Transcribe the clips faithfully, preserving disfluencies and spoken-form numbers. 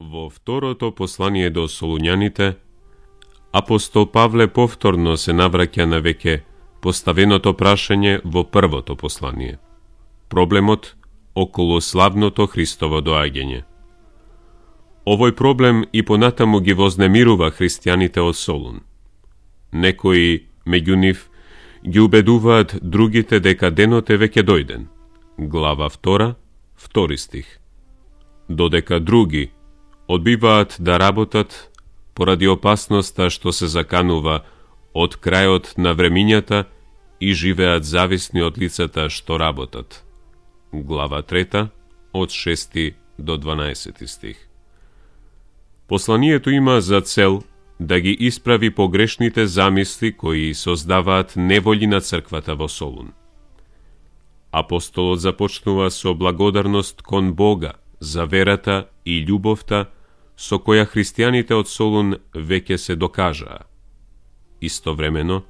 Во второто послание до Солуњаните, апостол Павле повторно се навраќа на веќе поставеното прашање во првото послание. Проблемот околу славното Христово доаѓање. Овој проблем и понатаму ги вознемирува христијаните од Солун. Некои меѓу нив ги убедуваат другите дека денот е веќе дојден. Глава втора, втори стих. Додека други одбиваат да работат поради опасноста што се заканува од крајот на времињата и живеат зависни од лицата што работат. Глава трета, од шести до дванаесети стих. Посланието има за цел да ги исправи погрешните замисли кои создаваат неволји на црквата во Солун. Апостолот започнува со благодарност кон Бога за верата и љубовта со која христијаните од Солун веќе се докажаа. Истовремено,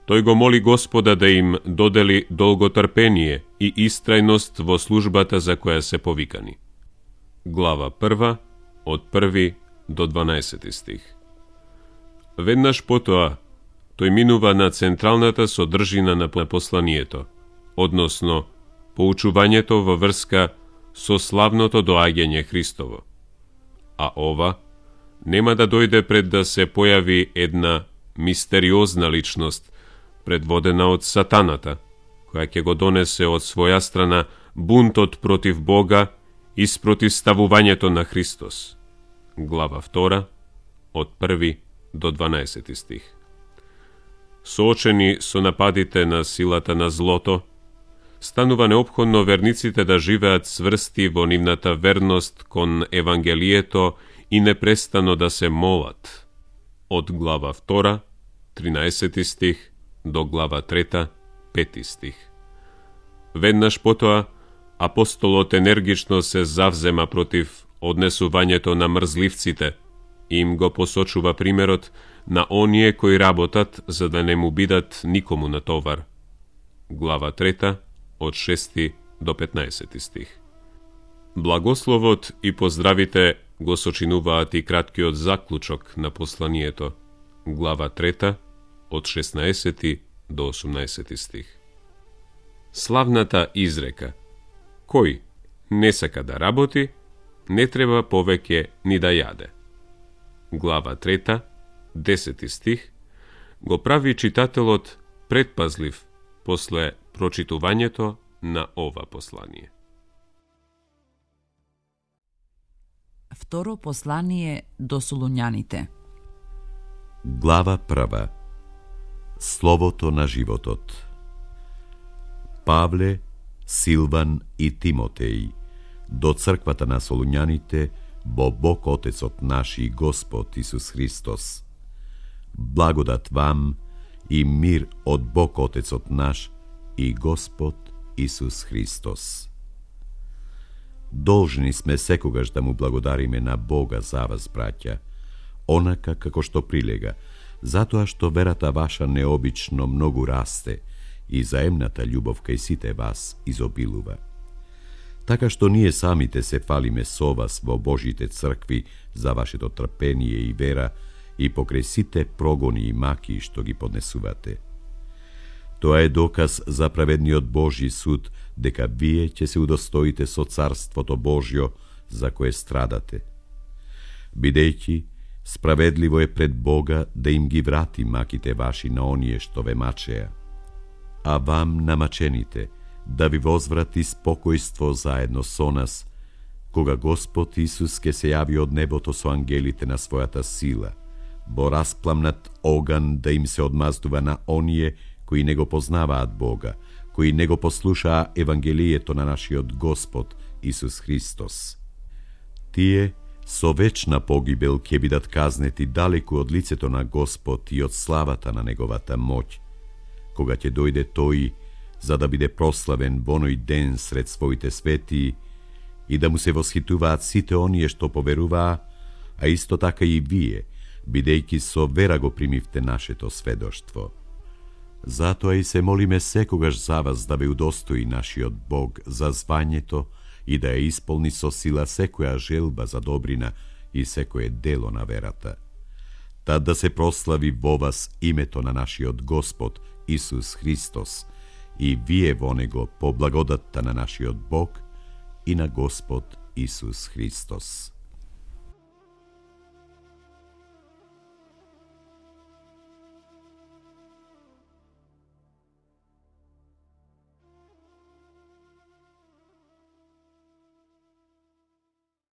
тој го моли Господа да им додели долготрпение и истрајност во службата за која се повикани. Глава прва, од први до дванаесети стих. Веднаш потоа, тој минува на централната содржина на посланието, односно поучувањето во врска со славното доаѓање Христово. А ова нема да дојде пред да се појави една мистериозна личност, предводена од сатаната, која ќе го донесе од своја страна бунтот против Бога и спротивставувањето на Христос. Глава втора, од први до дванаесети стих. Соочени со нападите на силата на злото, станува неопходно верниците да живеат сврсти во нивната верност кон Евангелието и непрестано да се молат. Од глава втора, тринаесети стих, до глава трета, пети стих. Веднаш потоа, апостолот енергично се завзема против однесувањето на мрзливците и им го посочува примерот на оние кои работат за да не му бидат никому на товар. Глава трета, од шести до петнаесети стих. Благословот и поздравите го сочинуваат и краткиот заклучок на посланието. Глава трета, од шеснаесети до осумнаесети стих. Славната изрека: кој не сака да работи, не треба повеќе ни да јаде. Глава трета, десети стих, го прави читателот предпазлив после прочитувањето на ова послание. Второ послание до Солуњаните. Глава прва. Словото на животот. Павле, Силван и Тимотеј, до црквата на Солуњаните, во Бог Отецот наш и Господ Исус Христос. Благодат вам и мир од Бог Отецот наш и Господ Исус Христос. Должни сме секогаш да му благодариме на Бога за вас, браќа, онака како што прилега, затоа што верата ваша необично многу расте и заемната љубов кај сите вас изобилува. Така што ние самите се фалиме со вас во Божите цркви за вашето трпение и вера и покрај сите прогони и маки што ги поднесувате. Тоа е доказ за праведниот Божји суд дека вие ќе се удостоите со Царството Божјо за кое страдате. Бидејќи справедливо е пред Бога да им ги врати маките ваши на оние што ве мачеа, а вам намачените да ви возврати спокојство заедно со нас, кога Господ Исус ке се јави од небото со ангелите на својата сила, во распламнат оган да им се одмаздува на оние кои не го познаваат Бога, кои не го послушаа Евангелието на нашиот Господ Исус Христос. Тие со вечна погибел ќе бидат казнети далеку од лицето на Господ и од славата на Неговата моќ, кога ќе дојде Тој за да биде прославен во оној ден сред своите светии и да му се восхитуваат сите оние што поверуваа, а исто така и вие, бидејќи со вера го примивте нашето сведоштво. Затоа и се молиме секогаш за вас да ве удостои нашиот Бог за звањето и да ја исполни со сила секоја желба за добрина и секое дело на верата. Тад да се прослави во вас името на нашиот Господ Исус Христос и вие во него по благодатта на нашиот Бог и на Господ Исус Христос.